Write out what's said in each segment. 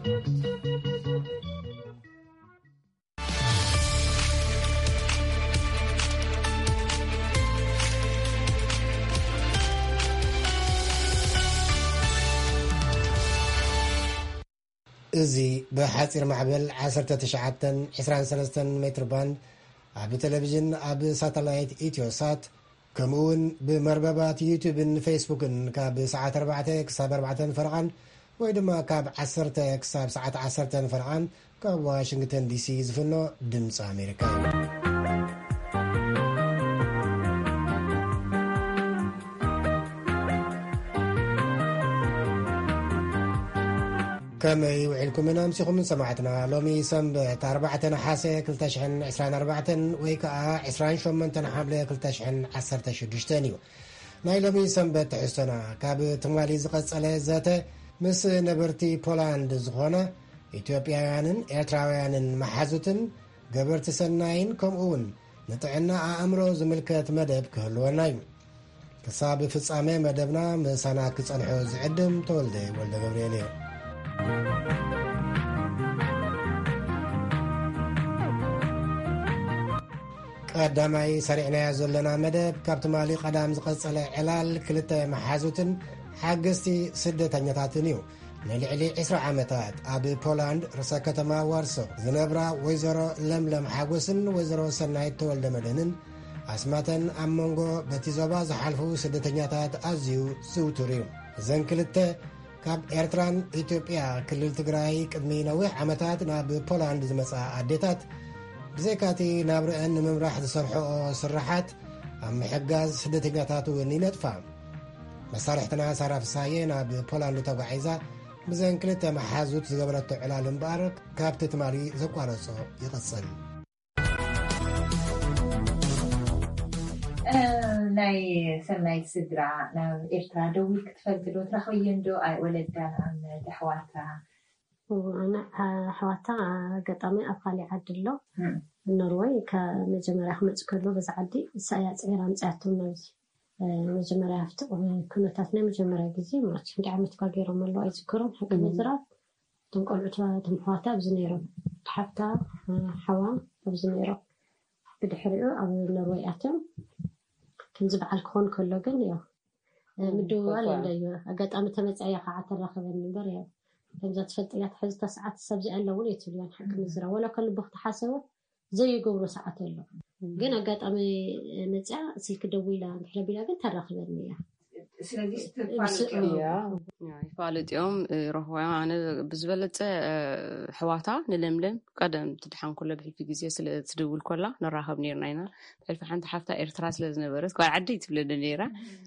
እዚ ብሓጺር ማዕበል ዓሰርተ ትሽዓተ ዕስራን ሰለስተን ሜትር ባንድ ኣብ ቴሌቪዥን፣ ኣብ ሳተላይት ኢትዮሳት፣ ከምኡ እውን ብመርበባት ዩቱብን ፌስቡክን ካብ ሰዓት ኣርባዕተ ክሳብ ኣርባዕተ ፈረቓን ወይ ድማ ካብ ዓሰርተ ክሳብ ሰዓት ዓሰርተ ፈረቓን ካብ ዋሽንግተን ዲሲ ዝፍኖ ድምፂ ኣሜሪካ እዩ። ከመይ ውዒልኩምን ኣምሲኹምን ሰማዕትና? ሎሚ ሰንበት ኣርባዕተ ነሓሰ ክልተ ሽሕን ዕስራን ኣርባዕተን ወይ ከኣ ዕስራን ሸሞንተን ሓምለ ክልተ ሽሕን ዓሰርተ ሽዱሽተን እዩ። ናይ ሎሚ ሰንበት ትሕዝቶና ካብ ትማሊ ዝቐጸለ ዘተ ምስ ነበርቲ ፖላንድ ዝኾነ ኢትዮጵያውያንን ኤርትራውያንን መሓዙትን ገበርቲ ሰናይን ከምኡ እውን ንጥዕና ኣእምሮ ዝምልከት መደብ ክህልወና እዩ። ክሳብ ፍጻሜ መደብና ምሳና ክጸንሑ ዝዕድም ተወልደ ወልደ ገብርኤል እየ። ቀዳማይ ሰሪዕናዮ ዘለና መደብ ካብ ትማሊ ቀዳም ዝቐጸለ ዕላል ክልተ መሓዙትን ሓገዝቲ ስደተኛታትን እዩ። ንልዕሊ ዕስራ ዓመታት ኣብ ፖላንድ ርእሰ ከተማ ዋርሶ ዝነብራ ወይዘሮ ለምለም ሓጎስን ወይዘሮ ሰናይት ተወልደ መድህንን ኣስማተን ኣብ መንጎ በቲ ዞባ ዝሓልፉ ስደተኛታት ኣዝዩ ዝውቱር እዩ። እዘን ክልተ ካብ ኤርትራን ኢትዮጵያ ክልል ትግራይ ቅድሚ ነዊሕ ዓመታት ናብ ፖላንድ ዝመጻ ኣዴታት ብዘይካቲ ናብረአን ንምምራሕ ዝሰርሕኦ ስራሓት ኣብ ምሕጋዝ ስደተኛታት እውን ይነጥፋ። መሳርሕትና ሳራ ፍሳዬ ናብ ፖላንድ ተጓዒዛ ብዘን ክልተ መሓዙት ዝገበረቶ ዕላል እምበኣር ካብቲ ትማሊ ዘቋረጾ ይቕጽል። ናይ ሰናይት ስድራ ናብ ኤርትራ ደዊል ክትፈልጥ ዶ ትረኽብየን ዶ? ኣይ ወለዳ ንኣብነት ኣሕዋታ ኣነ ኣሕዋታ ኣጋጣሚ ኣብ ካሊእ ዓዲ ኣሎ። ኖርወይ ከመጀመርያ ክመፅ ከሎ በዚ ዓዲ እሳ እያ ፅዒራ ኣምፅኣቶም ናብዚ። መጀመርያ ኣብቲ ኩነታት ናይ መጀመርያ ግዜ ማለት ክንዲ ዓመት ኳ ገይሮም ኣለዉ ኣይዝክሮም ሓቂ ምዝራብ። እቶም ቆልዑት እቶም ኣሕዋታ ኣብዚ ነይሮም፣ ሓፍታ ሓዋ ኣብዚ ነይሮም። ብድሕሪኡ ኣብ ኖርወይ ኣትዮም። ከምዚ በዓል ክኾን ከሎ ግን ያው ምድውዋል የለ እዩ። ኣጋጣሚ ተመፅያ እያ ከዓ ተራኸበኒ እምበር ያው ከምዛ ትፈልጥያ ትሕዝታ ሰዓት ሰብዚ ኣለውን እየ ትብልያን ሓቂ ምዝራ ወላ ከልቦ ክትሓሰቦ ዘይገብሮ ሰዓት ኣሎ። ግን ኣጋጣሚ መፅያ ስልኪ ደዊላ እንድሕረ ቢላ ግን ተራኽበኒ እያ። ስለዚህ ይፋለጥ እዮም፣ ይረኽቦ እዮም። ኣነ ብዝበለፀ ኣሕዋታ ንለምለም ቀደም ትድሓን ከሎ ብሕልፊ ግዜ ስለ ትድውል ከላ ንራኸብ ነርና ኢና። ብሕልፊ ሓንቲ ሓፍታ ኤርትራ ስለ ዝነበረት ጓል ዓደይ ትብለኒ ነይራ።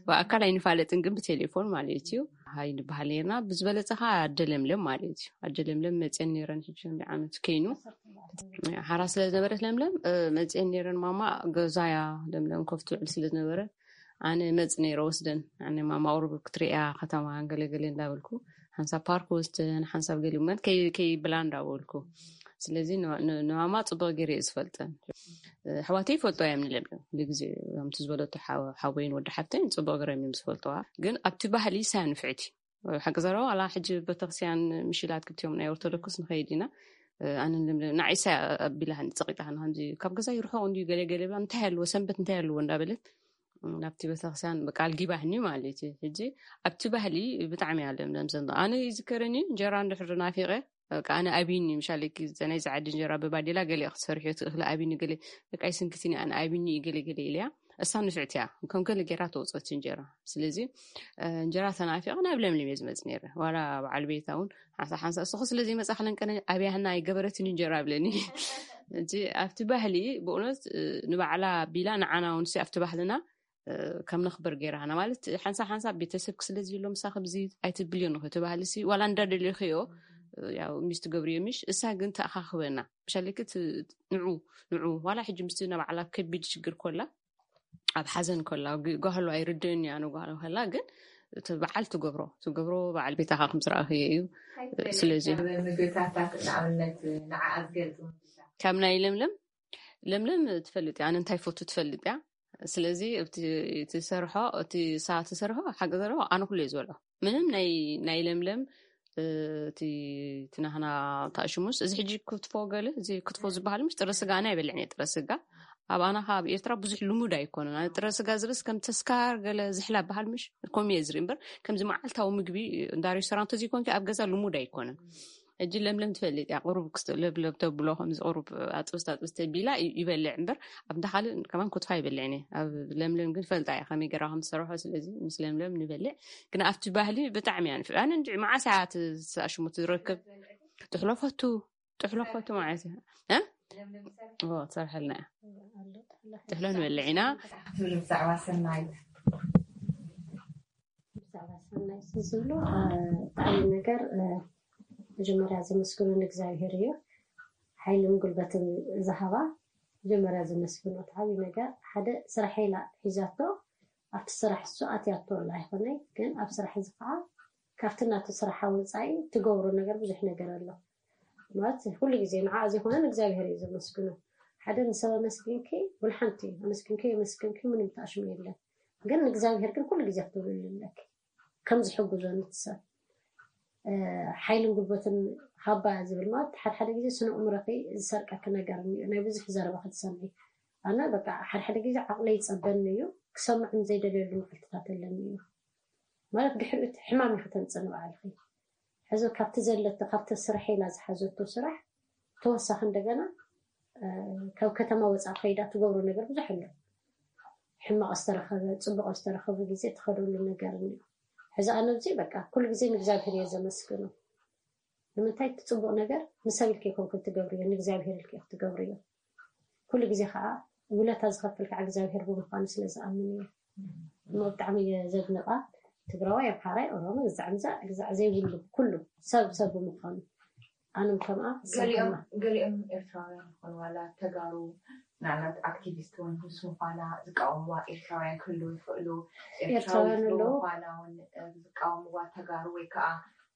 ብኣካል ኣይንፋለጥን ግን ብቴሌፎን ማለት እዩ ሃይ ንበሃል ነርና። ብዝበለፀ ከዓ ኣደ ለምለም ማለት እዩ። ኣደ ለምለም መፅየን ነይረን ሕጂ ክንደይ ዓመት ከይኑ ሓራ ስለ ዝነበረት ለምለም መፅየን ነይረን ማማ ገዛያ ለምለም ኮፍ ትውዕል ስለ ዝነበረት ኣነ መፅ ነይረ ወስደን ኣነ ማማ ቁሩብ ክትርእያ ከተማ ገለገለ እንዳበልኩ ሓንሳብ ፓርክ ወስደን ሓንሳብ ገሊ እመት ከይብላ እንዳበልኩ ስለዚ ንማማ ፅቡቅ ገይረ እየ ዝፈልጠን። ኣሕዋተይ ይፈልጦ እዮም ንለምለም ኩሉ ግዜ ከምቲ ዝበለቶ ሓወይን ወዲ ሓፍተይን ፅቡቅ ገይሮም እዮም ዝፈልጠዋ ግን ኣብቲ ባህሊ ሳያ ንፍዕቲ ሓቂ ዘረባ ዋላ ሕጂ ቤተክርስትያን ምሽላት ክልቲኦም ናይ ኦርቶዶክስ ንኸይድ ኢና ኣነ ንዓይሳ ኣቢላኒ ፀቂጣኒ ከምዚ ካብ ገዛ ይርሕቁ እንድዩ ገለ ገለ ብላ እንታይ ኣለዎ ሰንበት እንታይ ኣለዎ እንዳበለት ናብቲ ቤተክርስትያን በቃ ኣልጊባህኒ ማለት እዩ። ሕጂ ኣብቲ ባህሊ ብጣዕሚ እያ ለምለም ዘንዶ ኣነ ይዝከረኒ እንጀራ እንድሕር ናፊቀ በቃ ኣነ ኣብይኒ ምሻለኪ ናይዚ ዓዲ እንጀራ ብባዴላ ገለ ክትሰርሕዮ ትእኽሊ ኣብይኒ ገለ በቃ ይስንክትኒ ኣነ ኣብይኒ እዩ ገለ ገለ ኢለያ እሳ ንፍዕቲ እያ ከም ገለ ገይራ ተውፀት እንጀራ ስለዚ እንጀራ ተናፊቀ ናብ ለምለም እየ ዝመፅ ነይረ ዋላ በዓል ቤታ እውን ሓንሳ ሓንሳ እሱ ስለ ዘይመፃ ክለንቀነ ኣብያህና ኣይገበረትን እንጀራ ብለኒ እቲ ኣብቲ ባህሊ ብእውነት ንባዕላ ቢላ ንዓና እውን ኣብቲ ባህልና ከም ነኽብር ገይራና ማለት ሓንሳ ሓንሳ ቤተሰብ ክስለ ዝብሎ ምሳ ከምዚ ኣይትብልዮ ንኽዮ እቲ ባህሊ ሲ ዋላ እንዳደልዮ ክዮ ያው ሚስት ገብርዮ ምሽ እሳ ግን ተኣኻኽበና ምሻለኪ ንዑ ንዑ ዋላ ሕጂ ምስቲ ናባዕላ ከቢድ ሽግር ኮላ ኣብ ሓዘን ኮላ ጓህሎ ኣይርድእን እያ ንጓህሎ ከላ ግን እቲ በዓል ትገብሮ ትገብሮ በዓል ቤታኻ ከም ዝረኣኽዮ እዩ ስለዚ ምግብታታት ንኣብነት ንዓኣ ዝገልፅ ካብ ናይ ለምለም ለምለም ትፈልጥ እያ ኣነ እንታይ ፈቱ ትፈልጥ እያ ስለዚ እቲ ትሰርሖ እቲ ሳ ትሰርሖ ሓቂ ዘረባ ኣነ ኩሉ እየ ዝበልዖ ምንም ናይ ናይ ለምለም እቲ ናህና ታእሽሙስ፣ እዚ ሕጂ ክትፎ ገለ፣ እዚ ክትፎ ዝበሃል፣ ምስ ጥረ ስጋ ኣነ ኣይበልዕን እየ። ጥረ ስጋ ኣብ ኣና ካብ ኤርትራ ብዙሕ ልሙድ ኣይኮነን። ኣነ ጥረ ስጋ ዝብስ ከም ተስካር ገለ ዝሕላ በሃል፣ ምሽ ከምኡ እየ ዝርኢ እምበር፣ ከምዚ መዓልታዊ ምግቢ እንዳ ሬስቶራንት እዚ ኮንኪ ኣብ ገዛ ልሙድ ኣይኮነን። ሕጂ ለምለም ትፈልጥ እያ፣ ቁሩብ ክስተ-፣ ለብለብ ተብሎ፣ ከምዚ ቁሩብ ኣጥብስቲ ኣጥብስቲ ቢላ ይ-፣ ይበልዕ እምበር፣ ኣብ እንዳ ካልእ ከማን ክትፎ ኣይበልዕን እየ። ኣብ ለምለም ግን ፈልጣ እያ ከመይ ገይራ ከም ትሰርሖ። ስለዚ ምስ ለምለም ንበልዕ። ግን ኣብቲ ባህሊ ብጣዕሚ እያ ንፍ-፣ ኣነ እንጂ መዓስ እያ እቲ ኣሽሙ ትረክብ? ጥሕሎ ፈቱ፣ ጥሕሎ ፈቱ ማለት እዩ። እ? ኦ፣ ትሰርሐልና እያ። ጥሕሎ ንበልዕ ኢና። ክትብል ብዛዕባ ሰናይት። ብዛዕባ ሰናይት ዝብሎ፣ እ፣ ብጣዕሚ ነገር፣ እ፣ መጀመርያ ዘመስግኖ ንእግዚኣብሔር እዩ። ሓይልን ጉልበትን ዝሃባ መጀመርያ ዘመስግኖ። እቲ ዓብዪ ነገር ሓደ ስራሕ ኢላ ሒዛቶ፣ ኣብቲ ስራሕ እሱ ኣትያቶ ኣላ ኣይኮነይ፣ ግን ኣብ ስራሕ እዚ ከዓ ካብቲ ናቱ ስራሕ ወፃኢ ትገብሮ ነገር ብዙሕ ነገር ኣሎ። ማለት ኩሉ ግዜ ንዓ ዘይኮነ ንእግዚኣብሔር እዩ ዘመስግኖ። ሓደ ንሰብ ኣመስግንኪ፣ ወላ ሓንቲ ኣመስግንኪ የመስግንኪ ምንም ተኣሽሙ የለን። ግን ንእግዚኣብሔር ግን ኩሉ ግዜ ክትብልሉ ኣለኪ። ከም ዝሕግዞ ነቲ ሰብ፣ እ፣ ሓይልን ጉልበትን ሃባ ዝብል ማለት፣ ሓደ ሓደ ግዜ ስነ ኣእምሮኺ ዝሰርቀኪ ነገር እኒኦ፣ ናይ ብዙሕ ዘረባ ክትሰምዒ። ኣነ በቃ ሓደ ሓደ ግዜ ዓቕለይ ይጸበኒ እዩ፣ ክሰምዕን ዘይደልየሉ መዓልትታት ኣለኒ እዩ። ማለት ድሕሪኡ እቲ ሕማም ኢኺ ተምጽእ ንባዕልኺ። ሕዚ ካብቲ ዘለቶ፣ ካብቲ ስራሕ ኢላ ዝሓዘቶ ስራሕ ተወሳኺ እንደገና፣ እ፣ ካብ ከተማ ወጻኢ ከይዳ ትገብሮ ነገር ብዙሕ ኣሎ። ሕማቕ ዝተረኸበ፣ ጽቡቕ ዝተረኸበ ግዜ ትኸደሉ ነገር እኒኦ። ሕዚ ኣነ ኣብዚ በቃ ኩሉ ግዜ ንእግዚኣብሔር እየ ዘመስግኖ። ንምንታይ? እቲ ጽቡቕ ነገር ንሰብ ኢልኪ ኣይኮንክን ትገብርዮ፣ ንእግዚኣብሔር ኢልኪ ኢኺ ትገብርዮ። ኩሉ ግዜ ከዓ ውለታ ዝኸፍል ከዓ እግዚኣብሔር ብምዃኑ ስለ ዝኣምን እየ። እሞ ብጣዕሚ እየ ዘድንቓ። ትግራዋይ፣ ኣምሓራይ፣ ኦሮሞ፣ ግዛዕ ምዛዕ፣ ግዛዕ ዘይብሉ ኩሉ ሰብ ሰብ ብምዃኑ ኣንም ከምኣ ገሊኦም፣ ገሊኦም ኤርትራውያን ይኾኑ ዋላ ተጋሩ፣ ምናልባት ኣክቲቪስት እውን ምስ ምዃና ዝቃወምዋ ኤርትራውያን ክህልዉ ይኽእሉ። ኤርትራዊ ኤርትራውያን ኣለዉ። ምዃና እውን፣ እ፣ ዝቃወምዋ ተጋሩ ወይ ከዓ፣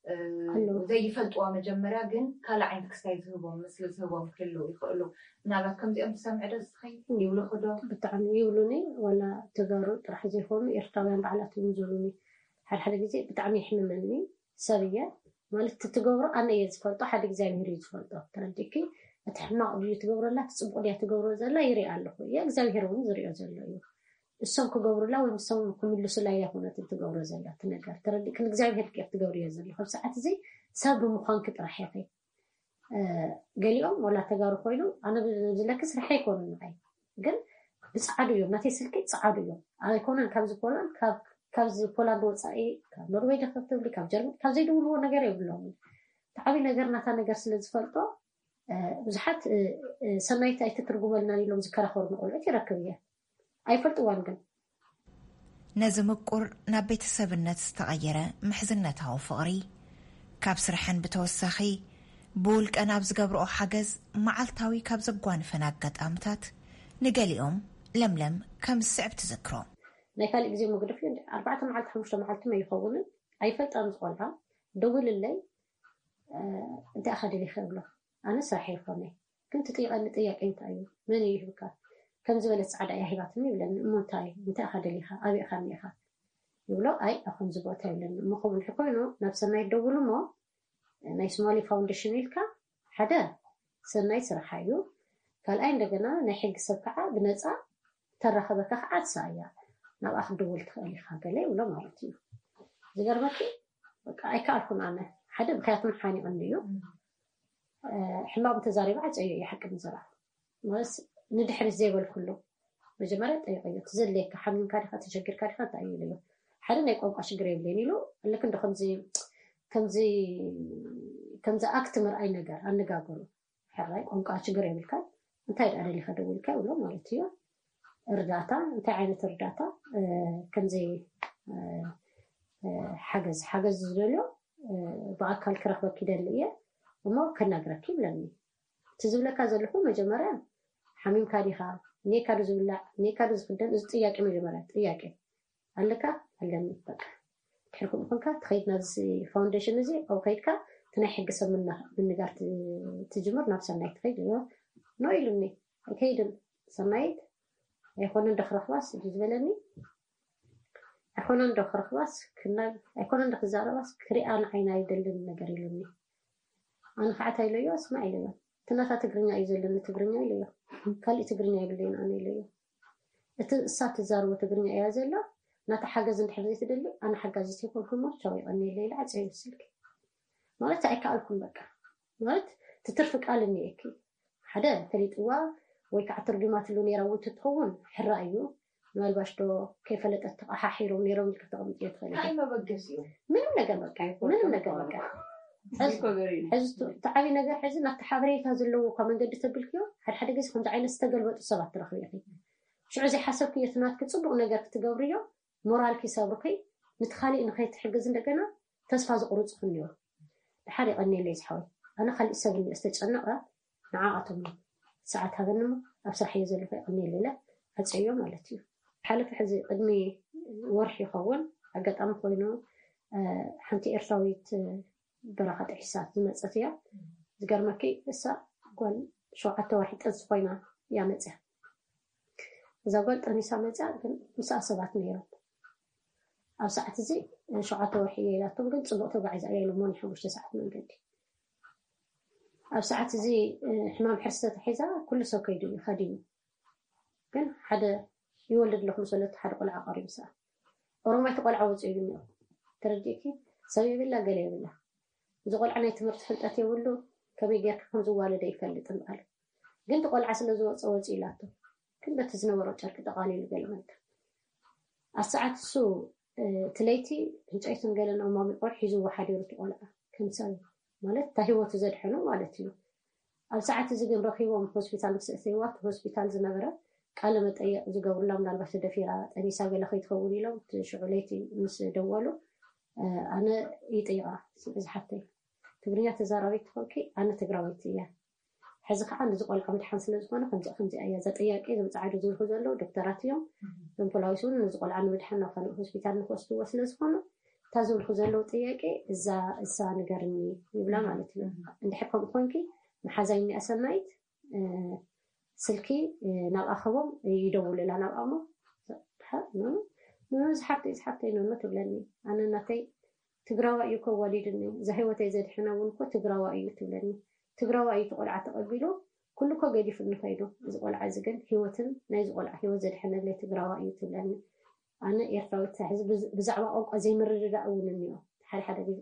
እ፣ ኣለዉ። ዘይፈልጥዋ መጀመርያ ግን ካልእ ዓይነት ክስታይ ዝህቦም፣ ምስሊ ዝህቦም ክህልዉ ይኽእሉ። ምናልባት ከምዚኦም ትሰምዒ ዶ እስኺ? እ። ይብሉኺ ዶ? ብጣዕሚ ይብሉኒ። ዋላ ተጋሩ ጥራሕ ዘይኮኑ ኤርትራውያን ባዕላቶም ይብሉኒ። ሓደ ሓደ ግዜ ብጣዕሚ የሕምመኒ። ሰብ እየ ማለት፣ እቲ ትገብሮ ኣነ እየ ዝፈልጦ፣ ሓደ እግዚኣብሄር እዩ ዝፈልጦ። ተረዲእኪ? እቲ ሕማቕ ድዩ ትገብረላ፣ እቲ ጽቡቕ ድያ ትገብሮ ዘላ ይርኢ ኣለኹ እየ፣ እግዚኣብሄር እውን ዝሪኦ ዘሎ እዩ። እሶም ክገብሩላ ወይ ንሶም ክምልሱላ እያ ኮነት ትገብሮ ዘላ እቲ ነገር። ተረዲእኪ? ንእግዚኣብሄር ዲኺ ክትገብርዮ ዘለኺ። ኣብ ሰዓት እዚ ሰብ ብምዃንኪ ጥራሕ ኢኺ። እ፣ ገሊኦም ወላ ተጋሩ ኮይኑ፣ ኣነ ብ-፣ ዝለኪ ስራሕ ኣይኮኑን ንዓይ። ግን ብጻዕዱ እዮም፣ ናተይ ስልኪ ጻዕዱ እዮም። ኣይኮነን ካብዚ ፖላንድ፣ ካብ፣ ካብዚ ፖላንድ ወጻኢ፣ ካብ ኖርዌይ ዲኺ ክትብሊ፣ ካብ ጀርመን፣ ካብ ዘይድውልዎ ነገር የብሎምን። እቲ ዓብዪ ነገር ናታ ነገር ስለ ዝፈልጦ፣ እ፣ ብዙሓት፣ እ፣ እ፣ ሰናይት ኣይትትርጉመልናን ኢሎም ዝከራኸሩኒ ቆልዑት ይረክብ እየ። ኣይፈልጥዋን ግን። ነዚ ምቁር ናብ ቤተሰብነት ዝተቐየረ ምሕዝነታዊ ፍቕሪ፣ ካብ ስርሐን ብተወሳኺ ብውልቀን ኣብ ዝገብርኦ ሓገዝ መዓልታዊ ካብ ዘጓንፈን ኣጋጣምታት ንገሊኦም ለምለም ከም ዝስዕብ ትዝክሮ። ናይ ካልእ ግዜ መግደፍ እዩ። ኣርባዕተ መዓልቲ፣ ሓሙሽተ መዓልቲ መ ይኸውንን ኣይፈልጣን። ዝቆልዓ ደውልለይ፣ እ፣ እንታይ ኢኻ ደሊኻ ይብሎ። ኣነ ስራሕ ይኾነ፣ ግን ትጥይቐኒ ጥያቄ እንታይ እዩ? መን እዩ ይህብካ? ከም ዝበለት ጻዕዳ እያ ሂባትኒ ይብለኒ። እሞ እንታይ? እንታይ ኢኻ ደሊኻ? ኣበይ ኢኻ እኒኢኻ? ይብሎ። ኣይ፣ ኣብ ከምዚ ቦታ ይብለኒ። እሞ ከምኡ እንድሕር ኮይኑ ናብ ሰናይት ደውሉ እሞ ናይ ሶማሊ ፋውንዴሽን ኢልካ ሓደ ሰናይ ስራሓ እዩ። ካልኣይ እንደገና ናይ ሕጊ ሰብ ከዓ ብነፃ ተራኸበካ ከዓ ትስኣ እያ። ናብኣ ክትድውል ትኽእል ኢኻ ገለ ይብሎ ማለት እዩ። ዝገርመኪ በቃ ኣይከኣልኩን ኣነ። ሓደ ምኽንያቱ ሓኒቑኒ እዩ። እ፣ ሕማቕ እንተዛሪባ ዓፀዮ እዩ ሓቂ ምዝራብ። ማለት ንድሕሪት ዘይበልኩሉ መጀመርያ ጠይቀዮ። እቲ ዘድልየካ ሓሚምካ ዲኻ፣ ተሸጊርካ ዲኻ እንታይ እዩ ኢለዮ። ሓደ ናይ ቋንቋ ሽግር የብለይን ኢሉ። ልክ እንደ ከምዚ፣ ከምዚ፣ ከምዚ ኣክት ምርኣይ ነገር ኣነጋገሩ። ሕራይ ቋንቋ ሽግር የብልካን። እንታይ ደኣ ደሊኻ ደዊልካ ይብሎ ማለት እዩ። እርዳታ፣ እንታይ ዓይነት እርዳታ? እ፣ ከምዚ፣ እ፣ እ፣ ሓገዝ፣ ሓገዝ ዝደልዮ፣ እ፣ ብኣካል ክረኽበኪ ይደሊ እየ እሞ ከናግረኪ ይብለኒ። እቲ ዝብለካ ዘለኹ መጀመርያ ሓሚምካ ዲኻ? እኒኤካ ዶ ዝብላዕ? እኒኤካ ዶ ዝኽደን? እዚ ጥያቄ መጀመርያ ጥያቄ። ኣለካ? ኣለኒ። በቃ። ድሕሪ ከምኡ ኮንካ ትኸይድ ናብዚ ፋውንዴሽን እዚ፣ ኣብኡ ከይድካ እቲ ናይ ሕጊ ሰብ ምና-፣ ምንጋር ት-፣ ትጅምር፣ ናብ ሰናይ ትኸይድ። እዮ፣ ኖ ኢሉኒ። ኣይከይድን። ሰናይት ኣይኮነን ዶ ክረኽባስ እዩ ዝበለኒ። ኣይኮነን ዶ ክረኽባስ ክና ኣይኮነን ዶ ክዛረባስ ክሪኣ ንዓይና ኣይደልን ነገር ኢሉኒ። ኣነ ከዓ እንታይ ኢለዮ? ስማዕ ኢለዮ፣ እቲ ናታ ትግርኛ እዩ ዘለኒ፣ ትግርኛ ኢለዮ። ካሊእ ትግርኛ የብለይን ኣነ ኢለዮ። እቲ እሳ ትዛርቦ ትግርኛ እያ ዘላ። ናታ ሓገዝ እንድሕር ዘይትደሊ ኣነ ሓጋዚት ኣይኮንኩ እሞ ቻው፣ ይቐንየለይ ኢለ ዓፀዮ ስልኪ። ማለት ኣይከኣልኩን በቃ። ማለት እቲ ትርፊ ቃል እኒኤኪ ሓደ ፈሊጥዋ ወይ ከዓ ትርጉማትሉ ነይራ እውን ትትኸውን ሕራ እዩ። ምናልባሽ ዶ ከይፈለጠት ተቐሓሒሮም ነይሮም ኢልካ ተቐምጥዮ ትኽእል ኢኻ። እንታይ መበገሲኡ? ምንም ነገር በቃ፣ ምንም ነገር በቃ። ሕዚ እቲ ዓብይ ነገር ሕዚ ናብቲ ሓበሬታ ዘለዎ እኳ መንገዲ ተብልክዮ ሓደ ሓደ ግዜ ከምዚ ዓይነት ዝተገልበጡ ሰባት ትረኽቢ ኢኺ። ሽዑ ዘይሓሰብክዮ እቲ ናትኪ ፅቡቕ ነገር ክትገብርዮ ሞራልኪ ይሰብርኪ፣ ንቲ ካሊእ ንኸይትሕግዝ እንደገና ተስፋ ዝቑርፅኺ እኒኦ። ድሓር የቐንየለይ ዝሓወይ፣ ኣነ ካሊእ ሰብ እኒኦ ዝተጨነቐ ንዓኣቶም ሰዓት ሃበኒ እሞ ኣብ ስራሕ እየ ዘለኹ የቐንየለይ ኢለ ዓፀዮ ማለት እዩ። ሓለፈ ሕዚ ቅድሚ ወርሒ ይኸውን ኣጋጣሚ ኮይኑ ሓንቲ ኤርትራዊት በረኻ ጥሒሳ ዝመፀት እያ። ዝገርመኪ እሳ ጓል ሸውዓተ ወርሒ ጥንሲ ኮይና እያ መፅያ። እዛ ጓል ጠኒሳ መፅያ ግን ምስኣ ሰባት ነይሮም። ኣብ ሰዓት እዚ ሸውዓተ ወርሒ እየ ኢላቶም ግን ፅቡቅ ተጓዒዛ እያ ኢሎሞ ናይ ሓሙሽተ ሰዓት መንገዲ። ኣብ ሰዓት እዚ ሕማም ሕርሲ ተታሒዛ ኩሉ ሰብ ከይዱ እዩ ከዲኑ። ግን ሓደ ይወልድ ኣለኹ ምስ በለት ሓደ ቆልዓ ቀሪቡ ሰኣ ኦሮማይ እቲ ቆልዓ ወፂኡ እዩ እኒኦ። ተረዲእኪ? ሰብ የብላ ገለ የብላ። እዚ ቆልዓ ናይ ትምህርቲ ፍልጠት የብሉ፣ ከመይ ጌርካ ከም ዝዋለደ ይፈልጥን በሃሉ። ግን እቲ ቆልዓ ስለ ዝወፀ ወፂ ኢላቶ ግን በቲ ዝነበሮ ጨርቂ ጠቓሊሉ ገለ መለ ኣሰዓት እሱ እቲ ለይቲ ዕንጨይትን ገለን ኣማሚቆ ሒዝዎ ሓዲሩ እቲ ቆልዓ ከም ሰብ ማለት እታ ሂወቱ ዘድሐኖ ማለት እዩ። ኣብ ሰዓት እዚ ግን ረኺቦም ሆስፒታል ምስ እተይዋ እቲ ሆስፒታል ዝነበረ ቃለ መጠየቅ ዝገብሩላ ምናልባት ተደፊራ ጠኒሳ ገለ ከይትኸውን ኢሎም እቲ ሽዑ ለይቲ ምስ ደወሉ ኣነ ይጥይቃ ዝሓተይ ትግርኛ ተዛራቢት ትኾንኪ ኣነ ትግራወይቲ እያ ሕዚ ከዓ ነዚ ቆልዓ ምድሓን ስለ ዝኾነ ከምዚ ከምዚ እያ እዛ ጥያቄ እዞም ፃዓዱ ዝብልኩ ዘለዉ ዶክተራት እዮም እዞም ፖላዊስ እውን ነዚ ቆልዓ ንምድሓን ናብ ካልእ ሆስፒታል ንክወስድዎ ስለ ዝኾኑ እታ ዝብልኩ ዘለዉ ጥያቄ እዛ እሳ ንገርኒ ይብላ ማለት እዩ እንድሕር ከምኡ ኮንኪ መሓዛይ እኒኣ ሰናይት ስልኪ ናብ ኣኸቦም ይደውልላ ናብ ኣሞ ዝሓፍተይ ዝሓፍተይ ነኖ ትብለኒ ኣነ እናተይ ትግራዋ እዩ እኮ ዋሊድኒ እዛ ህይወተይ ዘድሕና እውን እኮ ትግራዋ እዩ ትብለኒ ትግራዋ እዩ ተቆልዓ ተቀቢሉ ኩሉ እኮ ገዲፉ ንኸይዱ እዚ ቆልዓ እዚ ግን ህይወትን ናይዚ ቆልዓ ህይወት ዘድሐነለይ ትግራዋ እዩ ትብለኒ ኣነ ኤርትራዊት ሕዚ ብዛዕባ ቋንቋ ዘይምርድዳእ እውን እኒኦ ሓደ ሓደ ግዜ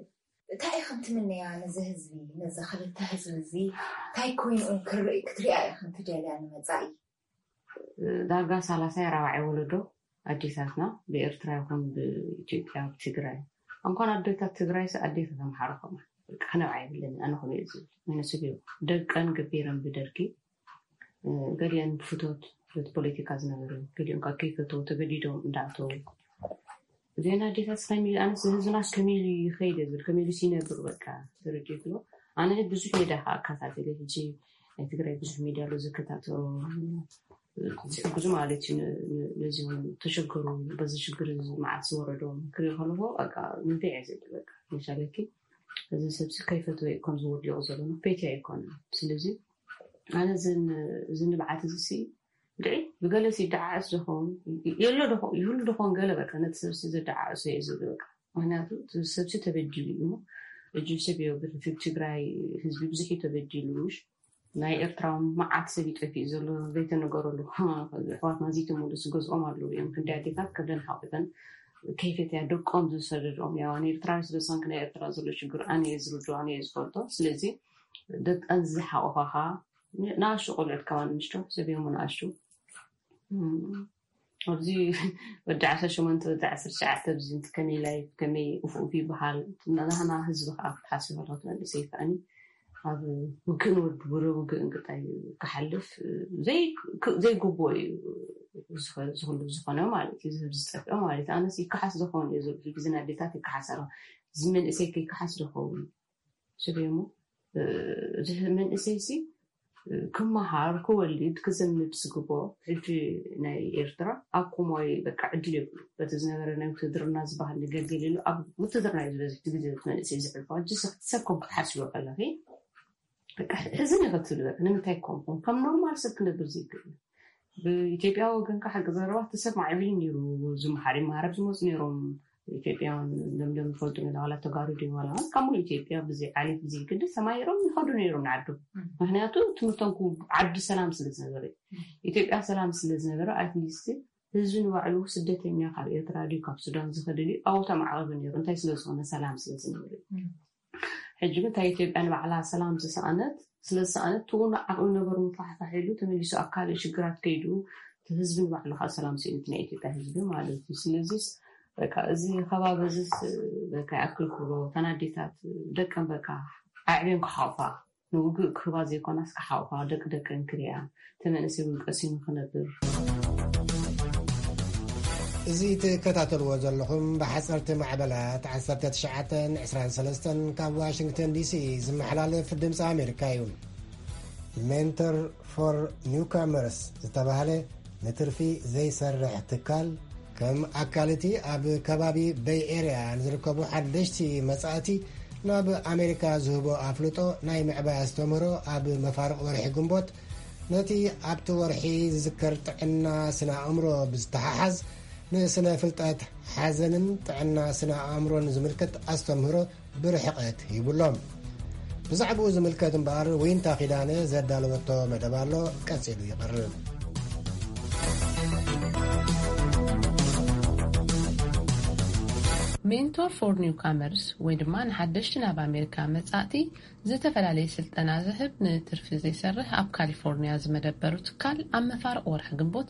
እንታይ ኢኽን ትምነያ ነዚ ህዝቢ ነዚ ክልተ ህዝቢ እዚ እንታይ ኮይኑን ክትሪኣ ኢኽን ትደልያ ንመፃኢ ዳርጋ ሳላሳይ ራባዓይ ወለዶ ኣዴታትና ብኤርትራ ይኹን ብኢትዮጵያ ብትግራይ እንኳን ኣዴታት ትግራይ ሲ ኣዴታት ኣምሓራ ከምኡ በቃ ክነብዓ የብለኒ ኣነ ከምኡ እየ ዝብል ምክንያቱ ደቀን ገቢረን ብደርጊ ገሊአን ብፍቶት ፍቶት ፖለቲካ ዝነበሩ ገሊኦም ካብ ከይፈተው ተገዲዶም እንዳኣተው ዜና ኣዴታት ከመይ ኣነስ ህዝብና ከመይ ኢሉ ይኸይድ ዝብል ከመይ ኢሉ ሲነብር በቃ ተረዲእክሎ ኣነ ብዙሕ ሜዳ ከዓ ኣከታተለ ሕጂ ናይ ትግራይ ብዙሕ ሚድያ ኣሎ ዝከታተሎ ዝሕግዙ ማለት እዩ ነዚም ተሸገሩ በዚ ሽግር መዓት ዝወረዶም ክርኢ ከለኹ በቃ ምንታይ እየ ዝብል በቃ መሻለኪ እዚ ሰብሲ ከይፈትወ እዩ ከም ዝወዲቑ ዘሎ ንክፈይትያ ኣይኮነን ስለዚ ኣነ እዚ ንብዓት እዚ ሲ ድዒ ብገለ ሲ ይደዓዓስ ዝኸውን የሎ ይህሉ ዝኸውን ገለ በቃ ነቲ ሰብሲ ዘደዓዕሶ እየ ዝብል በቃ ምክንያቱ ሰብሲ ተበዲሉ እዩ እጅ ሰብ የብርትግ ትግራይ ህዝቢ ብዙሕ ተበዲሉ ናይ ኤርትራ መዓት ሰብ ይጠፊእ ዘሎ ዘይተነገረሉ ኣሕዋትና ዘይተመለሱ ገዝኦም ኣለዉ እዮም ክንዲ ኣዴታት ከብደን ሓቂፈን ከይፈትያ ደቆም ዝሰደድኦም ያው ኣነ ኤርትራዊ ስለ ዝኾንክ ናይ ኤርትራ ዘሎ ሽግር ኣነ እየ ዝርድኦ ኣነ እየ ዝፈልጦ ስለዚ ደቀን ዝሓቆፋኻ ንኣሽቱ ቆልዑት ከማን ንሽቶ ሰብዮም ንኣሽቱ ኣብዚ ወዲ ዓሰርተ ሸሞንተ ወዲ ዓሰርተ ትሽዓተ ኣብዚ ከመይ ላይፍ ከመይ ኡፍ ኡፍ ይበሃል ናህና ህዝቢ ከዓ ክትሓስብ ከለካ መንእሰይ ከዓኒ ኣብ ውግእን ወድቡረ ውግእን ቅጣይ ክሓልፍ ዘይግብኦ እዩ ዝህሉ ዝኾነ ማለት እዩ ዝህብ ዝጠፍኦ ማለት ኣነስ ይከሓስ ዝኸውን እዩ ዝብል ግዜ ኣዴታት ይከሓስ ኣሎ እዚ መንእሰይ ከይከሓስ ዝኸውን ስበሞ እዚ መንእሰይ ሲ ክመሃር ክወልድ ክዘምድ ዝግቦ ሕጂ ናይ ኤርትራ ኣብ ኮማዊ በቃ ዕድል የብሉ በቲ ዝነበረ ናይ ውትድርና ዝበሃል ነገር ገሊሉ ኣብ ውትድርና እዩ ዝበዝሕ ግዜ መንእሰይ ዝሕልፎ ሕጂ ሰብ ከም ክትሓስቦ ከለኺ ሕዝን ይኸትሉ ንምንታይ ከምኹም ከም ኖርማል ሰብ ክነብር ዘይክእል ብኢትዮጵያ ወገን ከዓ ሓቂ ዘረባ እቲ ሰብ ማዕቢሉ ነይሩ። ዝመሓር ይመሃር ኣብ ዝመፁ ነይሮም ኢትዮጵያውያን። ለምለም ዝፈልጡ ነዳዋላ ተጋሩ ድዩ ዋላ ካብ ሙሉ ኢትዮጵያ ብዘይ ዓሌት ብዘይ ግዲ ሰማይሮም ይኸዱ ነይሮም ንዓዱ። ምክንያቱ ትምህርቶም ክው- ዓዲ ሰላም ስለ ዝነበረ፣ ኢትዮጵያ ሰላም ስለ ዝነበረ፣ ኣትሊስት ህዝቢ ንባዕሉ ስደተኛ ካብ ኤርትራ ድዩ ካብ ሱዳን ዝኸደ ድዩ ኣብኡ ተማዕቐበ ነይሩ። እንታይ ስለ ዝኾነ? ሰላም ስለ ዝነበረ። ሕጂ ግን እታ ኢትዮጵያ ንባዕላ ሰላም ዝሰኣነት፣ ስለ ዝሰኣነት ትውኑ ዓቕሚ ነበሩ ምፋሕፋሕ ኢሉ ተመሊሱ ኣብ ካልእ ሽግራት ከይዱ፣ እቲ ህዝቢ ንባዕሉ ከዓ ሰላም ስኢኑ፣ እቲ ናይ ኢትዮጵያ ህዝቢ ማለት እዩ። ስለዚስ በቃ እዚ ከባቢ እዚስ በቃ ይኣክል ክብሎ፣ ተናዴታት ደቀን በቃ ኣዕብየን ክሓቑፋ፣ ንውግእ ክህባ ዘይኮናስ ክሓቑፋ፣ ደቂ ደቀን ክሪኣ፣ እቲ መንእሰይ እውን ቀሲኑ ክነብር። እዚ ትከታተልዎ ዘለኹም ብሓፀርቲ ማዕበላት ዓሰርተ ትሽዓተን ዕስራን ሰለስተን ካብ ዋሽንግተን ዲሲ ዝመሓላለፍ ድምፂ ኣሜሪካ እዩ። ሜንተር ፎር ኒውካመርስ ዝተባህለ ንትርፊ ዘይሰርሕ ትካል፣ ከም ኣካል እቲ ኣብ ከባቢ በይ ኤርያ ንዝርከቡ ሓደሽቲ መጻእቲ ናብ ኣሜሪካ ዝህቦ ኣፍልጦ ናይ ምዕባይ ኣስተምህሮ፣ ኣብ መፋርቕ ወርሒ ግንቦት ነቲ ኣብቲ ወርሒ ዝዝከር ጥዕና ስነ ኣእምሮ ብዝተሓሓዝ፣ ንስነ ፍልጠት ሓዘንን ጥዕና ስነ ኣእምሮን ዝምልከት ኣስተምህሮ ብርሕቐት ሂቡሎም። ብዛዕባኡ ዝምልከት እምበኣር ዊንታ ኪዳነ ዘዳለወቶ መደብ ኣሎ፣ ቀጺሉ ይቐርብ። ሜንቶር ፎር ኒውካመርስ ወይ ድማ ንሓደሽቲ ናብ ኣሜሪካ መጻእቲ ዝተፈላለየ ስልጠና ዝህብ ንትርፊ ዘይሰርሕ ኣብ ካሊፎርኒያ ዝመደበሩ ትካል ኣብ መፋርቕ ወርሒ ግንቦት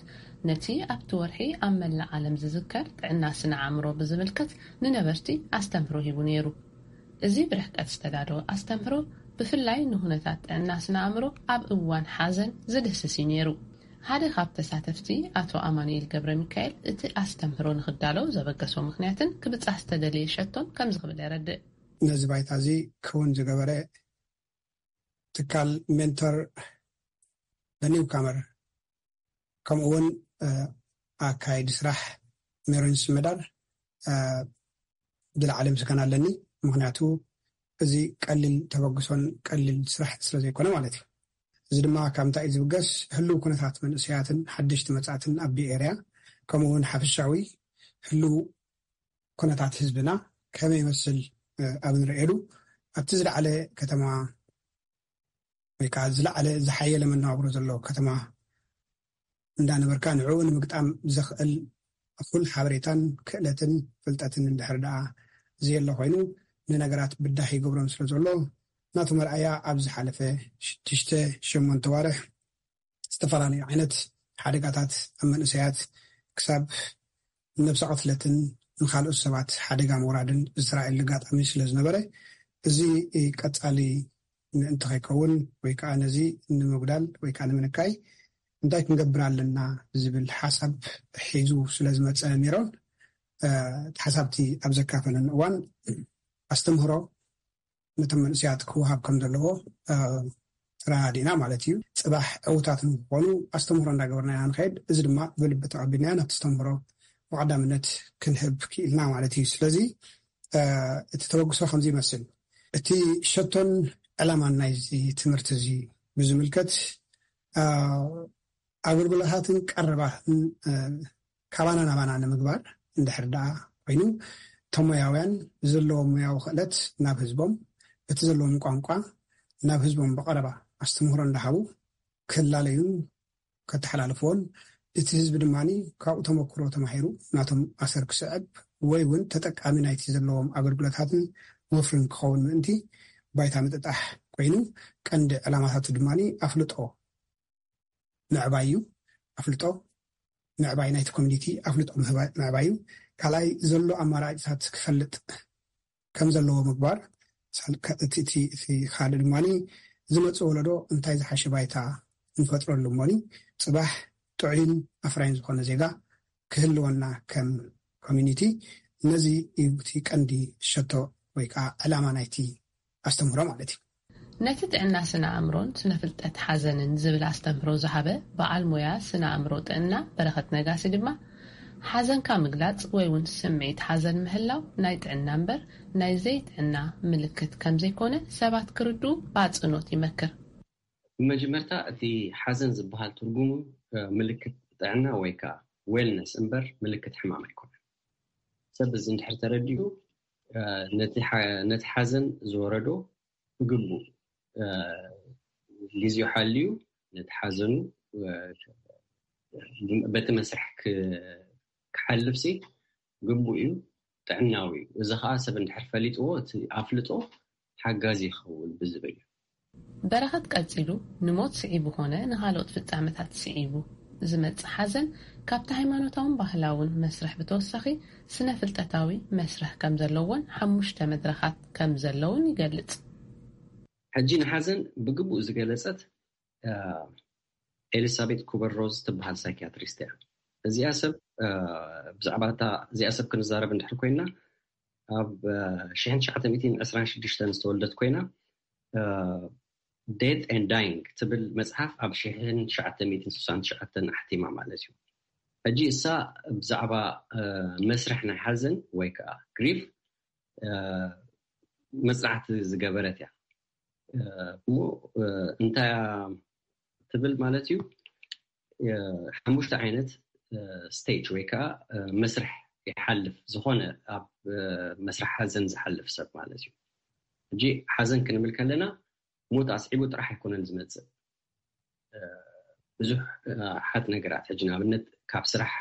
ነቲ ኣብቲ ወርሒ ኣብ መላእ ዓለም ዝዝከር ጥዕና ስነ ኣእምሮ ብዝምልከት ንነበርቲ ኣስተምህሮ ሂቡ ነይሩ። እዚ ብርሕቀት ዝተዳለወ ኣስተምህሮ ብፍላይ ንኩነታት ጥዕና ስነ ኣእምሮ ኣብ እዋን ሓዘን ዝድህስስ እዩ ነይሩ። ሓደ ካብ ተሳተፍቲ ኣቶ ኣማኑኤል ገብረ ሚካኤል እቲ ኣስተምህሮ ንክዳለው ዘበገሶ ምክንያትን ክብጻሕ ዝተደለየ ሸቶን ከምዚ ክብል የረድእ። ነዚ ባይታ እዚ ክውን ዝገበረ ትካል ሜንቶር ኒውካመር ከምኡ እውን ኣካይዲ ስራሕ ሜሮን ስመዳር ዝለዓለ ምስጋና ኣለኒ። ምክንያቱ እዚ ቀሊል ተበግሶን ቀሊል ስራሕ ስለ ዘይኮነ ማለት እዩ። እዚ ድማ ካብ እንታይ እዩ ዝብገስ? ህልው ኩነታት መንእሰያትን ሓደሽቲ መጻእትን ኣብ ቤይ ኤርያ ከምኡ እውን ሓፈሻዊ ህልው ኩነታት ህዝብና ከመይ ይመስል ኣብ ንርእየሉ ኣብቲ ዝለዓለ ከተማ ወይ ከዓ ዝለዓለ ዝሓየለ መነባብሮ ዘለዎ ከተማ እንዳነበርካ ንዕኡ ንምግጣም ዘኽእል እኹል ሓበሬታን ክእለትን ፍልጠትን እንድሕር ደኣ ዘየሎ ኮይኑ ንነገራት ብዳህ ይገብሮም ስለ ዘሎ ናቱ መርኣያ ኣብ ዝሓለፈ ሽዱሽተ ሸሞንተ ዋርሕ ዝተፈላለዩ ዓይነት ሓደጋታት ኣብ መንእሰያት ክሳብ ነብሰ ቅትለትን ንካልኦት ሰባት ሓደጋ ምውራድን ዝተራእየሉ ኣጋጣሚ ስለ ዝነበረ እዚ ቀፃሊ ምእንቲ ከይከውን ወይ ከዓ ነዚ ንምጉዳል ወይ ከዓ ንምንካይ እንታይ ክንገብር ኣለና ዝብል ሓሳብ ሒዙ ስለ ዝመፀ ሜሮን ሓሳብቲ ኣብ ዘካፈለኒ እዋን ኣስተምህሮ ነቶም መንእሰያት ክወሃብ ከም ዘለዎ ተረዳዲእና ማለት እዩ። ፅባሕ ዕውታት ንክኾኑ ኣስተምህሮ እንዳገበርና ኢና ንኸይድ። እዚ ድማ ብልቢ ተቐቢልናዮ ናብቲ ኣስተምህሮ ብቐዳምነት ክንህብ ክኢልና ማለት እዩ። ስለዚ እቲ ተበግሶ ከምዚ ይመስል። እቲ ሸቶን ዕላማን ናይዚ ትምህርቲ እዚ ብዝምልከት ኣገልግሎታትን ቀረባትን ካባና ናባና ንምግባር እንድሕር ደኣ ኮይኑ እቶም ሞያውያን ዘለዎም ሞያዊ ክእለት ናብ ህዝቦም በቲ ዘለዎም ቋንቋ ናብ ህዝቦም ብቐረባ ኣስተምህሮ እንዳሃቡ ክላለዩን ከተሓላልፍዎን እቲ ህዝቢ ድማ ካብኡ ተመክሮ ተማሂሩ ናቶም ኣሰር ክስዕብ ወይ እውን ተጠቃሚ ናይቲ ዘለዎም ኣገልግሎታትን ወፍርን ክኸውን ምእንቲ ባይታ ምጥጣሕ ኮይኑ ቀንዲ ዕላማታቱ ድማ ኣፍልጦ ምዕባይ እዩ። ኣፍልጦ ምዕባይ ናይቲ ኮሚኒቲ ኣፍልጦ ምዕባይ እዩ። ካልኣይ ዘሎ ኣማራጭታት ክፈልጥ ከም ዘለዎ ምግባር። እቲ ካልእ ድማ ዝመፅእ ወለዶ እንታይ ዝሓሸ ባይታ ንፈጥረሉ እሞኒ ፅባሕ ጥዑይን ኣፍራይን ዝኾነ ዜጋ ክህልወና ከም ኮሚኒቲ ነዚ እዩ እቲ ቀንዲ ሸቶ ወይ ከዓ ዕላማ ናይቲ ኣስተምህሮ ማለት እዩ። ነቲ ጥዕና ስነ ኣእምሮን ስነ ፍልጠት ሓዘንን ዝብል ኣስተምህሮ ዝሃበ በዓል ሞያ ስነ ኣእምሮ ጥዕና በረኸት ነጋሲ ድማ ሓዘንካ ምግላፅ ወይ እውን ስምዒት ሓዘን ምህላው ናይ ጥዕና እምበር ናይ ዘይጥዕና ምልክት ከምዘይኮነ ሰባት ክርድኡ ብኣፅንኦት ይመክር። ብመጀመርታ እቲ ሓዘን ዝበሃል ትርጉሙ ምልክት ጥዕና ወይ ከዓ ዌልነስ እምበር ምልክት ሕማም ኣይኮነን። ሰብ እዚ እንድሕር ተረዲኡ ነቲ ሓዘን ዝወረዶ ብግቡእ ግዜኡ ሓልዩ ነቲ ሓዘኑ በቲ መስርሕ ክሓልፍሲ ግቡእ እዩ፣ ጥዕናዊ እዩ። እዚ ከዓ ሰብ እንድሕር ፈሊጥዎ እቲ ኣፍልጦ ሓጋዚ ይኸውን ብዝብል እዩ። በረኸት ቀጺሉ ንሞት ስዒቡ ኮነ ንኻልኦት ፍጻመታት ስዒቡ ዝመጽእ ሓዘን ካብቲ ሃይማኖታውን ባህላውን መስርሕ ብተወሳኺ ስነ ፍልጠታዊ መስርሕ ከም ዘለዎን ሓሙሽተ መድረኻት ከም ዘለውን ይገልጽ። ሕጂ ንሓዘን ብግቡእ ዝገለጸት ኤሊሳቤት ኩበር ሮዝ ትበሃል ሳይኪያትሪስት እያ። እዚኣ ሰብ ብዛዕባ እዚኣ ሰብ ክንዛረብ እንድሕር ኮይና ኣብ ሽሕን ትሽዓተ ሚእትን ዕስራን ሽዱሽተን ዝተወልደት ኮይና ዴት ኤንድ ዳይንግ ትብል መፅሓፍ ኣብ ሽሕን ትሽዓተ ሚእትን ስሳን ትሽዓተን ኣሕቲማ ማለት እዩ። ሕጂ እሳ ብዛዕባ መስርሕ ናይ ሓዘን ወይ ከዓ ግሪፍ መፅናዕቲ ዝገበረት እያ። እሞ እንታይ ትብል ማለት እዩ? ሓሙሽተ ዓይነት ስቴጅ ወይ ከዓ መስርሕ ይሓልፍ ዝኾነ ኣብ መስርሕ ሓዘን ዝሓልፍ ሰብ ማለት እዩ። ሕጂ ሓዘን ክንብል ከለና ሞት ኣስዒቡ ጥራሕ ኣይኮነን ዝመፅእ። ብዙሕ ሓት ነገራት ሕጂ ንኣብነት ካብ ስራሕ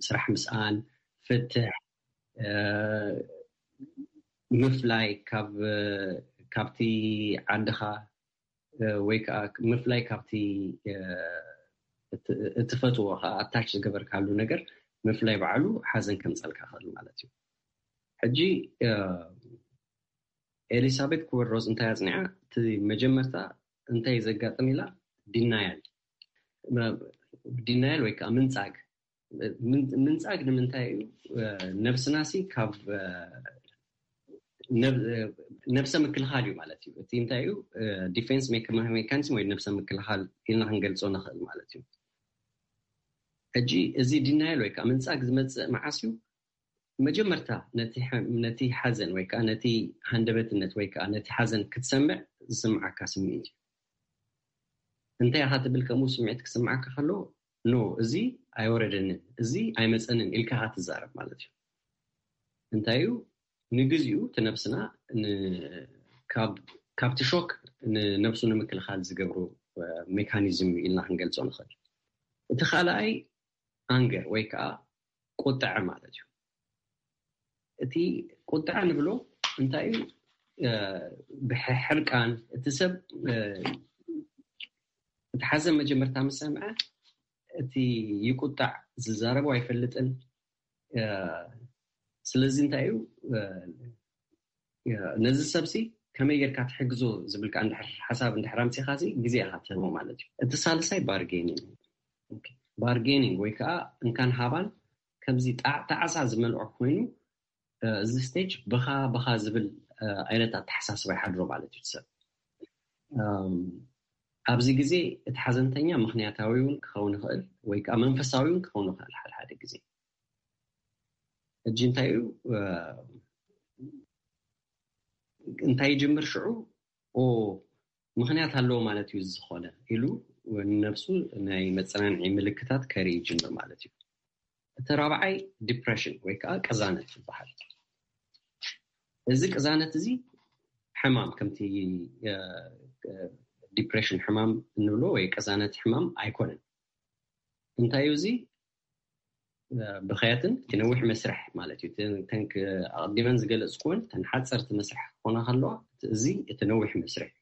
ስራሕ ምስኣን፣ ፍትሕ፣ ምፍላይ ካብቲ ዓድኻ ወይ ከዓ ምፍላይ ካብቲ እትፈትዎ ከዓ ኣታች ዝገበርካሉ ነገር ምፍላይ ባዕሉ ሓዘን ከምፀልካ ክእል ማለት እዩ። ሕጂ ኤሊሳቤት ኩበር ሮዝ እንታይ ኣፅኒዓ? እቲ መጀመርታ እንታይ ዘጋጥም ኢላ ዲናያል ዲናያል ወይ ከዓ ምንፃግ ምንፃግ ንምንታይ እዩ? ነብስናሲ ካብ ነብሰ ምክልኻል እዩ ማለት እዩ። እቲ እንታይ እዩ? ዲፌንስ ሜካኒዝም ወይ ነብሰ ምክልኻል ኢልና ክንገልፆ ንኽእል ማለት እዩ። ሕጂ እዚ ዲናይል ወይ ከዓ ምንፃግ ዝመፅእ መዓስ እዩ? መጀመርታ ነቲ ሓዘን ወይ ከዓ ነቲ ሃንደበትነት ወይ ከዓ ነቲ ሓዘን ክትሰምዕ ዝስምዓካ ስምዒት እዩ። እንታይ ኢኻ ትብል ከምኡ ስምዒት ክስምዓካ ከሎ? ኖ፣ እዚ ኣይወረደንን፣ እዚ ኣይመፀንን ኢልካ ኢኻ ትዛረብ ማለት እዩ። እንታይ እዩ? ንግዚኡ እቲ ነብስና ካብቲ ሾክ ንነብሱ ንምክልኻል ዝገብሩ ሜካኒዝም ኢልና ክንገልፆ ንኽእል። እቲ ካልኣይ ኣንገር ወይ ከዓ ቁጥዐ ማለት እዩ። እቲ ቁጥዐ ንብሎ እንታይ እዩ? ብሕርቃን እቲ ሰብ እቲ ሓዘን መጀመርታ ምስ ሰምዐ እቲ ይቁጣዕ፣ ዝዛረቦ ኣይፈልጥን። ስለዚ እንታይ እዩ ነዚ ሰብሲ ከመይ ጌርካ ትሕግዞ ዝብል ከዓ እንድሕር ሓሳብ እንድሕር ኣምፂኻሲ ግዜ ኢኻ ትህቦ ማለት እዩ። እቲ ሳልሳይ ባርጌኒንግ ባርጌኒንግ ወይ ከዓ እንካን ሃባን ከምዚ ጣዕሳ ዝመልዖ ኮይኑ እዚ ስቴጅ ብኻ ብኻ ዝብል ዓይነት ኣተሓሳስባ ይሓድሮ ማለት እዩ ሰብ። ኣብዚ ግዜ እቲ ሓዘንተኛ ምክንያታዊ እውን ክኸውን ይኽእል ወይ ከዓ መንፈሳዊ እውን ክኸውን ይኽእል ሓደ ሓደ ግዜ። ሕጂ እንታይ እዩ እንታይ ይጅምር ሽዑ ኦ ምክንያት ኣለዎ ማለት እዩ ዝኾነ ኢሉ ንነብሱ ናይ መፀናንዒ ምልክታት ከርኢ ይጅምር ማለት እዩ። እቲ ራብዓይ ዲፕሬሽን ወይ ከዓ ቅዛነት ይበሃል። እዚ ቅዛነት እዚ ሕማም ከምቲ ዲፕሬሽን ሕማም እንብሎ ወይ ቅዛነት ሕማም ኣይኮነን። እንታይ እዩ እዚ? ብኸያትን እቲ ነዊሕ መስርሕ ማለት እዩ። ኣቐዲመን ዝገለፅኩወን ተን ሓፀርቲ መስርሕ ክኾና ከለዋ እዚ እቲ ነዊሕ መስርሕ እዩ።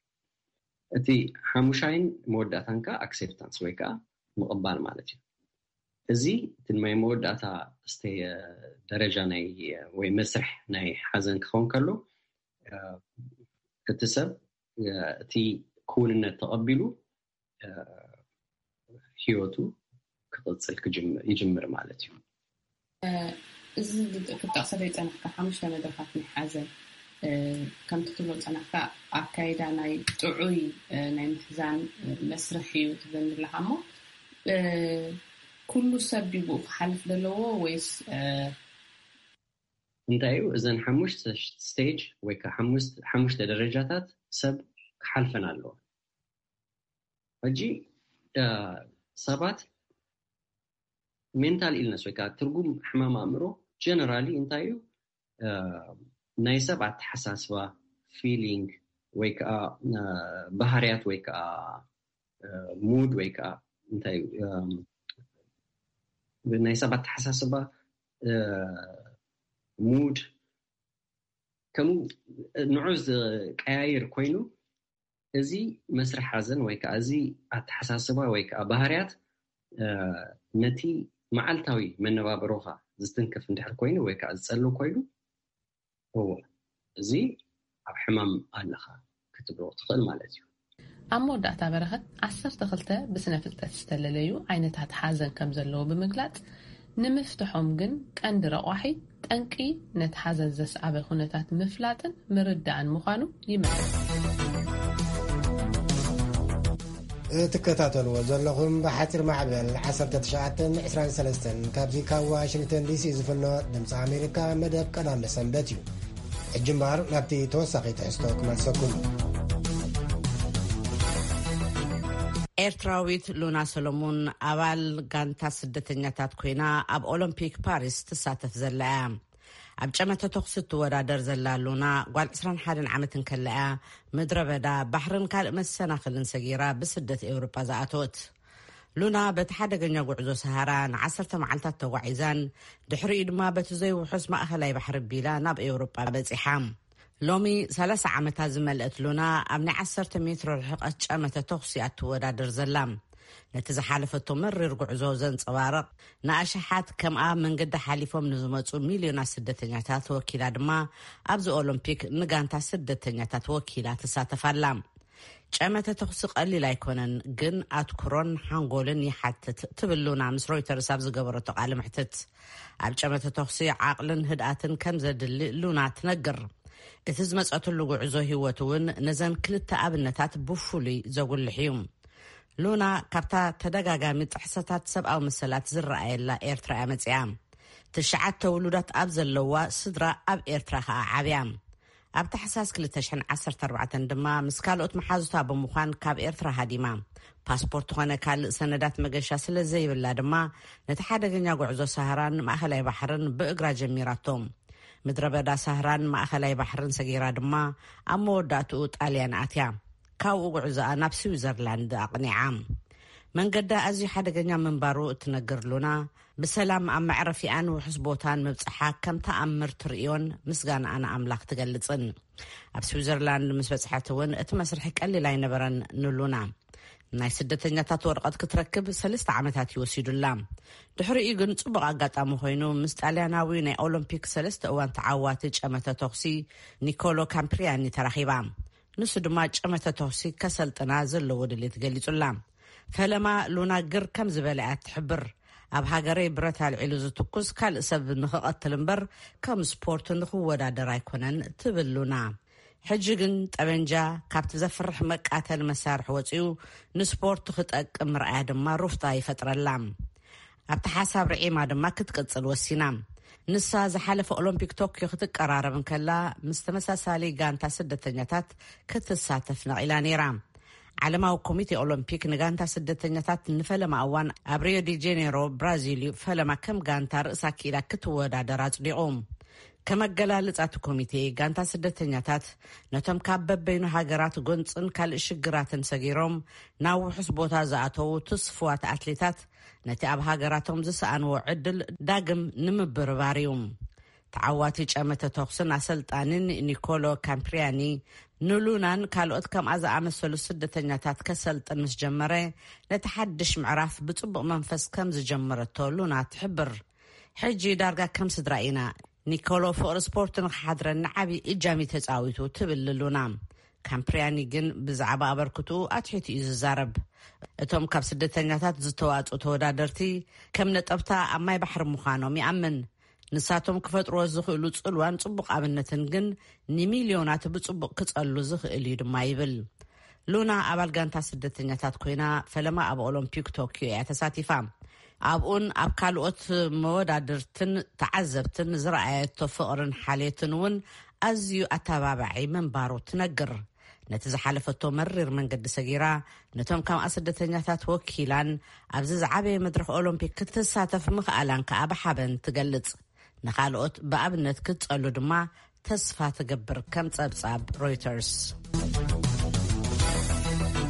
እቲ ሓሙሻይን መወዳእታን ከዓ ኣክሴፕታንስ ወይ ከዓ ምቕባል ማለት እዩ። እዚ እቲ ናይ መወዳእታ ደረጃ ናይ ወይ መስርሕ ናይ ሓዘን ክኸውን ከሎ እቲ ሰብ እቲ ክውንነት ተቐቢሉ ህይወቱ ክቕፅል ይጅምር ማለት እዩ። እዚ ክትጠቕሰለይ ፀናሕካ ሓሙሽተ መድረኻት ናይ ሓዘን ከምቲ ትብሎ ፀናሕካ ኣካይዳ ናይ ጥዑይ ናይ ምሕዛን መስርሕ እዩ ትብለኒ ኣለካ እሞ ኩሉ ሰብ ድዩ ብኡ ክሓልፍ ዘለዎ ወይስ እንታይ እዩ እዘን ሓሙሽተ ስቴጅ ወይ ከዓ ሓሙሽተ ደረጃታት ሰብ ክሓልፈን ኣለዎ። ሕጂ ሰባት ሜንታል ኢልነስ ወይ ከዓ ትርጉም ሕማም ኣእምሮ ጀነራሊ እንታይ እዩ? ናይ ሰብ ኣተሓሳስባ፣ ፊሊንግ፣ ወይ ከዓ ባህርያት ወይ ከዓ ሙድ ወይ ከዓ እንታይ ናይ ሰብ ኣተሓሳስባ፣ ሙድ፣ ከምኡ ንዑ ዝቀያይር ኮይኑ፣ እዚ መስርሕ ሓዘን ወይ ከዓ እዚ ኣተሓሳስባ ወይ ከዓ ባህርያት ነቲ መዓልታዊ መነባብሮኻ ዝትንክፍ እንድሕር ኮይኑ ወይ ከዓ ዝፀሉ ኮይኑ፣ እወ፣ እዚ ኣብ ሕማም ኣለኻ ክትብሎ ትኽእል ማለት እዩ። ኣብ መወዳእታ፣ በረኸት ዓሰርተ ክልተ ብስነ ፍልጠት ዝተለለዩ ዓይነታት ሓዘን ከም ዘለዉ ብምግላጽ፣ ንምፍትሖም ግን ቀንዲ ረቋሒ ጠንቂ ነቲ ሓዘን ዘስዓበ ኩነታት ምፍላጥን ምርዳእን ምዃኑ ይመልስ። እትከታተልዎ ዘለኹም ብሓፂር ማዕበል ዓሰርተ ትሽዓተ ዕስራን ሰለስተን ካብዚ ካብ ዋሽንግተን ዲሲ ዝፍኖ ድምፂ ኣሜሪካ መደብ ቀዳመ ሰንበት እዩ። ሕጂ እምበኣር ናብቲ ተወሳኺ ትሕዝቶ ክመልሰኩም። ኤርትራዊት ሉና ሰሎሙን ኣባል ጋንታ ስደተኛታት ኮይና ኣብ ኦሎምፒክ ፓሪስ ትሳተፍ ዘላ እያ። ኣብ ጨመተ ተኹሲ እትወዳደር ዘላ ሉና፣ ጓል ዕስራን ሓደን ዓመት እንከላ እያ ምድረ በዳ፣ ባሕርን ካልእ መሰናኽልን ሰጊራ ብስደት ኤውሮጳ ዝኣተወት። ሉና በቲ ሓደገኛ ጉዕዞ ሰሃራ ንዓሰርተ መዓልታት ተጓዒዛን ድሕሪኡ ድማ በቲ ዘይውሑስ ማእኸላይ ባሕሪ ቢላ ናብ ኤውሮጳ በጺሓ። ሎሚ ሰላሳ ዓመታ ዝመልአት ሉና ኣብ ናይ ዓሰርተ ሜትሮ ርሕቐት ጨመተ ተኹሲ እያ ትወዳደር ዘላ። ነቲ ዝሓለፈቶ መሪር ጉዕዞ ዘንጸባርቕ፣ ንኣሽሓት ከምኣ መንገዲ ሓሊፎም ንዝመጹ ሚልዮናት ስደተኛታት ወኪላ ድማ ኣብዚ ኦሎምፒክ ንጋንታ ስደተኛታት ወኪላ ትሳተፍ ኣላ። ጨመተ ተኹሲ ቀሊል ኣይኮነን፣ ግን ኣትኩሮን ሓንጎልን ይሓትት ትብል ሉና ምስ ሮይተርስ ኣብ ዝገበረቶ ቃለ መሕትት። ኣብ ጨመተ ተኹሲ ዓቕልን ህድኣትን ከም ዘድሊ ሉና ትነግር። እቲ ዝመጸትሉ ጉዕዞ ህይወት እውን ነዘን ክልተ ኣብነታት ብፍሉይ ዘጉልሕ እዩ። ሉና ካብታ ተደጋጋሚ ጥሕሰታት ሰብኣዊ መሰላት ዝረኣየላ ኤርትራ እያ መጺኣ። ትሽዓተ ውሉዳት ኣብ ዘለዋ ስድራ ኣብ ኤርትራ ከኣ ዓብያ። ኣብ ታሕሳስ ክልተ ሽሕን ዓሰርተ ኣርባዕተን ድማ ምስ ካልኦት መሓዙታ ብምዃን ካብ ኤርትራ ሃዲማ። ፓስፖርት ኾነ ካልእ ሰነዳት መገሻ ስለ ዘይብላ ድማ ነቲ ሓደገኛ ጉዕዞ ሳህራን ማእኸላይ ባሕርን ብእግራ ጀሚራቶ። ምድረ በዳ ሳህራን ማእኸላይ ባሕርን ሰጊራ ድማ ኣብ መወዳእትኡ ጣልያን ኣትያ። ካብኡ ጉዕዞኣ ናብ ስዊዘርላንድ ኣቕኒዓ። መንገዳ ኣዝዩ ሓደገኛ ምንባሩ እትነግር ሉና፣ ብሰላም ኣብ መዕረፊኣን ውሑስ ቦታን ምብጽሓ ከም ተኣምር ትርእዮን ምስጋናኣ ንኣምላኽ ትገልጽን። ኣብ ስዊዘርላንድ ምስ በጽሐት እውን እቲ መስርሕ ቀሊል ኣይነበረን ንሉና። ናይ ስደተኛታት ወረቐት ክትረክብ ሰለስተ ዓመታት እዩ ወሲዱላ። ድሕሪኡ ግን ጽቡቕ ኣጋጣሚ ኮይኑ ምስ ጣልያናዊ ናይ ኦሎምፒክ ሰለስተ እዋን ተዓዋቲ ጨመተ ተኹሲ ኒኮሎ ካምፕሪያኒ ተራኺባ። ንሱ ድማ ጨመተ ተኹሲ ከሰልጥና ዘለዎ ድሌት ገሊጹላ። ፈለማ ሉና ግር ከም ዝበለ እያ ትሕብር። ኣብ ሃገረይ ብረት ኣልዒሉ ዝትኩስ ካልእ ሰብ ንኽቐትል እምበር ከም ስፖርት ንኽወዳደር ኣይኮነን ትብል ሉና። ሕጂ ግን ጠበንጃ ካብቲ ዘፍርሕ መቃተሊ መሳርሒ ወጺኡ ንስፖርት ክጠቅም ምርኣያ ድማ ሩፍታ ይፈጥረላ። ኣብቲ ሓሳብ ርዒማ ድማ ክትቅጽል ወሲና። ንሳ ዝሓለፈ ኦሎምፒክ ቶክዮ ክትቀራረብ እንከላ ምስ ተመሳሳሊ ጋንታ ስደተኛታት ክትሳተፍ ነቒላ ነይራ። ዓለማዊ ኮሚቴ ኦሎምፒክ ንጋንታ ስደተኛታት ንፈለማ እዋን ኣብ ሪዮ ዲ ጄኔሮ ብራዚል እዩ ፈለማ ከም ጋንታ ርእሳ ክኢላ ክትወዳደር ኣጽዲቑ። ከመገላልጻ እቲ ኮሚቴ፣ ጋንታ ስደተኛታት ነቶም ካብ በበይኑ ሃገራት ጎንጽን ካልእ ሽግራትን ሰጊሮም ናብ ውሑስ ቦታ ዝኣተዉ ትስፉዋት ኣትሌታት ነቲ ኣብ ሃገራቶም ዝሰኣንዎ ዕድል ዳግም ንምብርባር እዩ። ተዓዋቲ ጨመተ ተኹስን ኣሰልጣንን ኒኮሎ ካምፕሪያኒ ንሉናን ካልኦት ከምኣ ዝኣመሰሉ ስደተኛታት ከሰልጥን ምስ ጀመረ፣ ነቲ ሓድሽ ምዕራፍ ብጽቡቕ መንፈስ ከም ዝጀመረቶ ሉና ትሕብር። ሕጂ ዳርጋ ከም ስድራ ኢና። ኒኮሎ ፍቕሪ ስፖርት ንኽሓድረኒ ዓብዪ እጃም እዩ ተጻዊቱ ትብል ሉና። ካምፕሪያኒ ግን ብዛዕባ ኣበርክትኡ ኣትሒቱ እዩ ዝዛረብ። እቶም ካብ ስደተኛታት ዝተዋጽኡ ተወዳደርቲ ከም ነጠብታ ኣብ ማይ ባሕሪ ምዃኖም ይኣምን። ንሳቶም ክፈጥርዎ ዝኽእሉ ጽልዋን ጽቡቕ ኣብነትን ግን ንሚልዮናት ብጽቡቕ ክጸሉ ዝኽእል እዩ ድማ ይብል። ሉና ኣባል ጋንታ ስደተኛታት ኮይና ፈለማ ኣብ ኦሎምፒክ ቶክዮ እያ ተሳቲፋ። ኣብኡን ኣብ ካልኦት መወዳድርትን ተዓዘብትን ዝረኣየቶ ፍቕርን ሓልዮትን እውን ኣዝዩ ኣተባባዒ ምንባሩ ትነግር። ነቲ ዝሓለፈቶ መሪር መንገዲ ሰጊራ፣ ነቶም ከምኣ ስደተኛታት ወኪላን ኣብዚ ዝዓበየ መድረኽ ኦሎምፒክ ክትሳተፍ ምኽኣላን ከኣ ብሓበን ትገልጽ። ንኻልኦት ብኣብነት ክትጸሉ ድማ ተስፋ ትገብር፣ ከም ጸብጻብ ሮይተርስ።